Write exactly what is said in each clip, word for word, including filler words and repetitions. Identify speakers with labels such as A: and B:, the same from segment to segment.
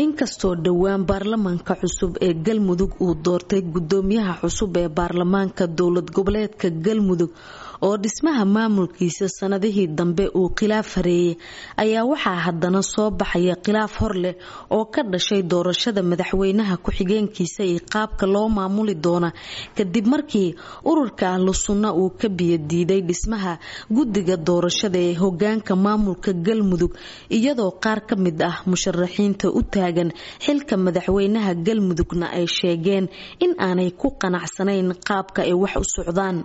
A: Inkastoo dhowaan baarlamaanka cusub ee Galmudug uu doortay gudoomiyaha cusub ee baarlamaanka dowlad goboleedka Galmudug oo dhismaha maamulkiisa sanadihii dambe uu khilaaf hareeyay, ayaa waxaa haddana soo baxaya khilaaf hor leh oo ka dhashay doorashada madaxweynaha ku-xigeenkiisa iyo qaabka loo maamuli doona, kadib markii ururka Ahlu Sunna uu ka biyadiiday dhismaha guddiga doorashada ee hogaanka maamulka Galmudug, iyadoo qaar ka mid ah musharaxiinta u taagan xilka madaxweynaha Galmudugna ay sheegeen in aanay ku qanacsanayn qaabka ay wax u socdaan.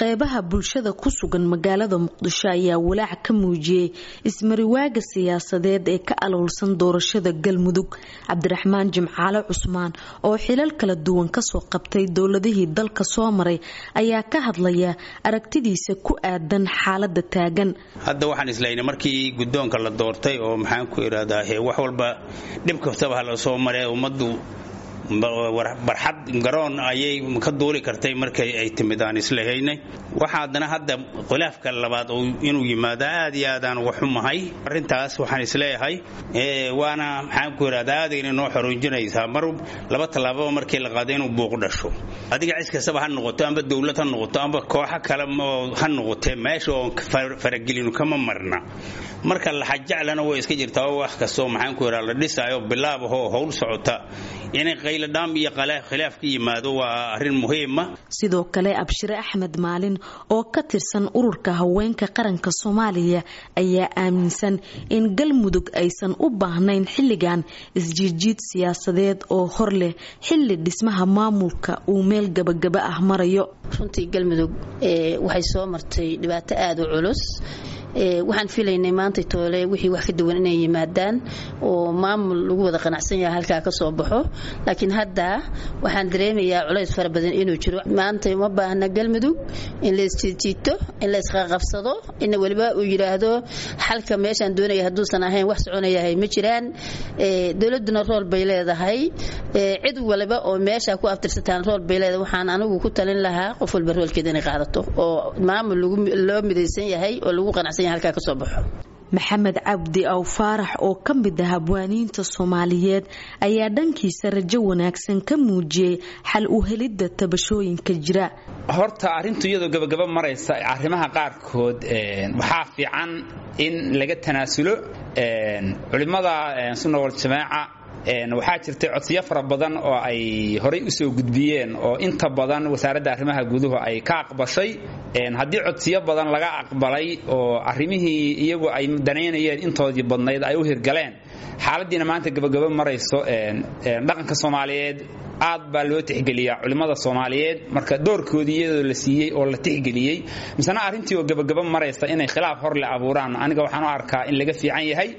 A: Qeybaha bulshada ku sugan magaalada Muqdisho ayaa walaac ka muujiyey ismariwaaga siyaasadeed ee ka aloolsan doorashada Galmudug. Cabdiraxmaan Jimcaale Cusmaan oo xilal kala duwan kasoo qabtay dowladihii dalka soo maray ayaa ka hadlaya aragtidiisa ku aadan xaalada taagan.
B: Hadda waxaan islaynay markii guddoonka la doortay oo maxaan ku idhahdaa, wax walba dhib kastaba ha la soo maree, ummaddu barxad garoon ayay ka duuli kartay markay ay timid aan islahaynay. Waxa haddana hadda khilaafka labaad inuu yimaado aad iyo aadaan uga xumahay arrintaas. Waxaan isleeyahay waana maxaan ku idhahdaa, aadayna noo xorunjinaysaa mar laba tallaababa markii la qaado inuu buuq dhasho. Adiga cis kastaba ha noqoto, amba dowlad ha noqoto, amba kooxo kale ha noqotee, meesha oon faragelinu kama marna. Marka laxajaclana way iska jirtaa oo wax kastoo maxaan ku idhahdaa la dhisaayo bilaab ahoo howl socota inay qayladhaam iyo khilaaf ka yimaado waa arrin muhiima.
A: Sidoo kale Abshire Axmed Maalin oo ka tirsan Ururka Haweenka Qaranka Soomaaliya ayaa aaminsan in Galmudug aysan u baahnayn xilligan isjiidjiid siyaasadeed oo hor leh, xilli dhismaha maamulka uu meel gabagaba ah marayo.
C: Runtii Galmudug waxay soo martay dhibaato aada u culus. Waxaan filaynay maanta toole wixii wax ka duwan inay yimaadaan oo maamul lagu wada qanacsan yahay halkaa ka soo baxo, laakiin hadda waxaan dareemayaa culays fara badan inuu jiro. Maanta uma baahna Galmudug in la isjiidjiito, in la isqaqabsado, in weliba uu yidhaahdo xalka meeshaan doonaya hadduusan ahayn wax soconayahay ma jiraan. Dowladduna rool bay leedahay, cid waliba oo meesha ku aftirsataan rool bay leedahay. Waxaan anigu ku talin lahaa qof walba roolkeeda inay qaadato oo maamul loo midaysan yahay oo lagu qanacsan.
A: Maxamed Cabdi Aw Faarax oo ka mid ah habwaaniinta Soomaaliyeed ayaa dhankiisa rajo wanaagsan ka muujiyey xal u helidda tabashooyinka jira.
D: Horta arrintu iyadoo gabagaba maraysa, arrimaha qaarkood waxaa fiican in laga tanaasulo. Culimmada Sunna Waljamaaca waxaa jirtay codsiyo fara badan oo ay horay u soo gudbiyeen oo inta badan Wasaaradda Arrimaha Guduhu ay ka aqbashay. Haddii codsiyo badan laga aqbalay oo arrimihii iyagu ay danaynayeen intoodii badnayd ay u hirgaleen, xaaladdiina maanta gabagabo marayso, dhaqanka Soomaaliyeed aad baa loo tixgeliyaa. Culimmada Soomaaliyeed marka doorkoodii iyadoo la siiyey oo la tixgeliyey, misena arrintii oo gabagabo maraysa inay khilaaf hor le abuuraan, aniga waxaan u arkaa in laga fiican yahay.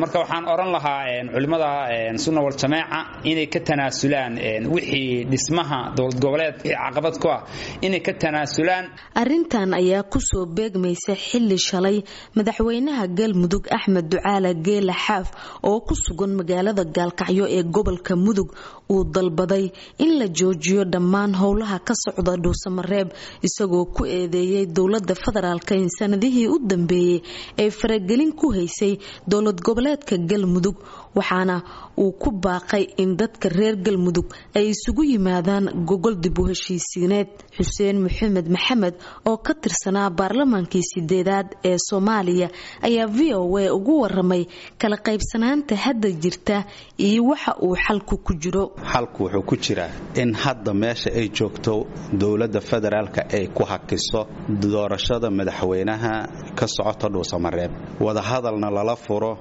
D: Marka waxaan odhan lahaa culimmada Sunna Waljamaaca inay ka tanaasulaan wixii dhismaha dowlad goboleed caqabad ku ah, inay ka tanaasulaan.
A: Arrintan ayaa kusoo beegmaysa xilli shalay madaxweynaha Galmudug Axmed Ducaala Geela Xaaf oo ku sugan magaalada Gaalkacyo ee gobolka Mudug uu dalbaday in la joojiyo dhammaan howlaha ka socda Dhuusamareeb, isagoo ku eedeeyay dowlada federaalk in sanadihii u dambeeyey ay faragelin ku haysay dowlad goboleedka Galmudug, waxaana uu ku baaqay in dadka reer Galmudug ay isugu yimaadaan gogol dib u heshiisiineed. Xuseen Maxamed Maxamed oo ka tirsanaa baarlamaankii sideedaad ee Soomaaliya ayaa V O A ugu waramay kala qaybsanaanta hadda jirta iyo waxa uu xalku ku jiro.
E: Xalku wuxuu ku jiraa in hadda meesha ay joogto dowladda federaalka ay ku hakiso doorashada madaxweynaha ka socota Dhuusamareeb, wadahadalna lala furo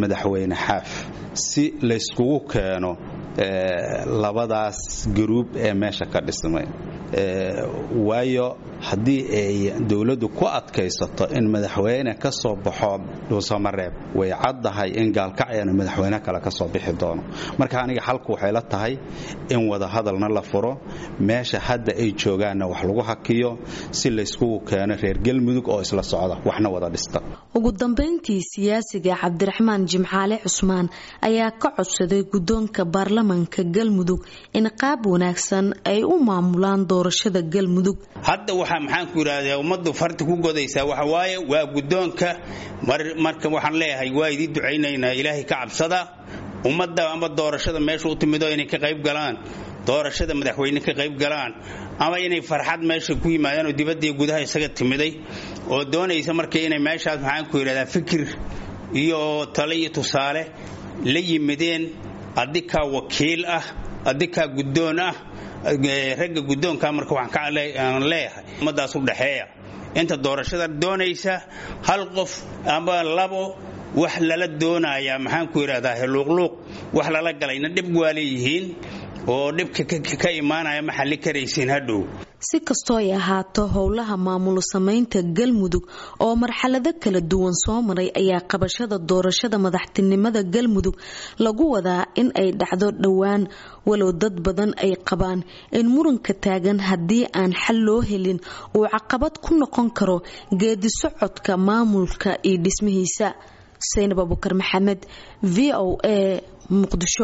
E: madaxweyne Xaaf si layskugu keeno labadaas garuub ee meesha ka dhismay. Waayo haddii ay dowladdu ku adkaysato in madaxweyne ka soo baxo Dhuusamareeb, way caddahay in Gaalkacyana madaxweyne kale ka soo bixi doono. Marka aniga xalku waxay la tahay in wadahadalna la furo, meesha hadda ay joogaanna wax lagu hakiyo si layskugu keeno reer Galmudug oo isla socda waxna wada dhista.
A: Ugu dambeyntii siyaasiga Cabdiraxmaan Jimcaale Cusmaan ayaa ka codsaday guddoonka baarlamaanka Galmudug in qaab wanaagsan ay u maamulaan doorashada Galmudug.
B: Hadda waxaa maxaan ku yidhaahdaa ummaddu farti ku godaysaa waxa waaye waa guddoonka. Marka waxaan leeyahay waa idii ducaynaynaa, Ilaahay ka cabsada. Ummadda ama doorashada meesha u timido inay ka qayb galaan, doorashada madaxweyne ka qayb galaan, ama inay farxad meesha ku yimaadaan oo dibadda iyo gudaha isaga timiday oo doonaysa marka inay meeshaas, maxaan ku yidhahdaa, fikir iyo tale iyo tusaale la yimideen. Adikaa wakiil ah, adikaa guddoon ah, ragga guddoonka. Marka waxaan leeyahay ummaddaas u dhexeeya inta doorashada doonaysa, hal qof ama labo wax lala doonayaa, maxaan ku yidhahdaa, luuqluuq wax lala galayna dhib waa leeyihiin oo dhibka ka imaanaya ma xalli karaysiin hadhow.
A: Si kastoo ay ahaato, howlaha maamul samaynta Galmudug oo marxalado kala duwan soo maray ayaa qabashada doorashada madaxtinimada Galmudug lagu wadaa in ay dhacdo dhowaan, walow dad badan ay qabaan in muranka taagan haddii aan xal loo helin uu caqabad ku noqon karo geedi socodka maamulka iyo dhismihiisa. Saynab Abukar Maxamed, V O A, Muqdisho.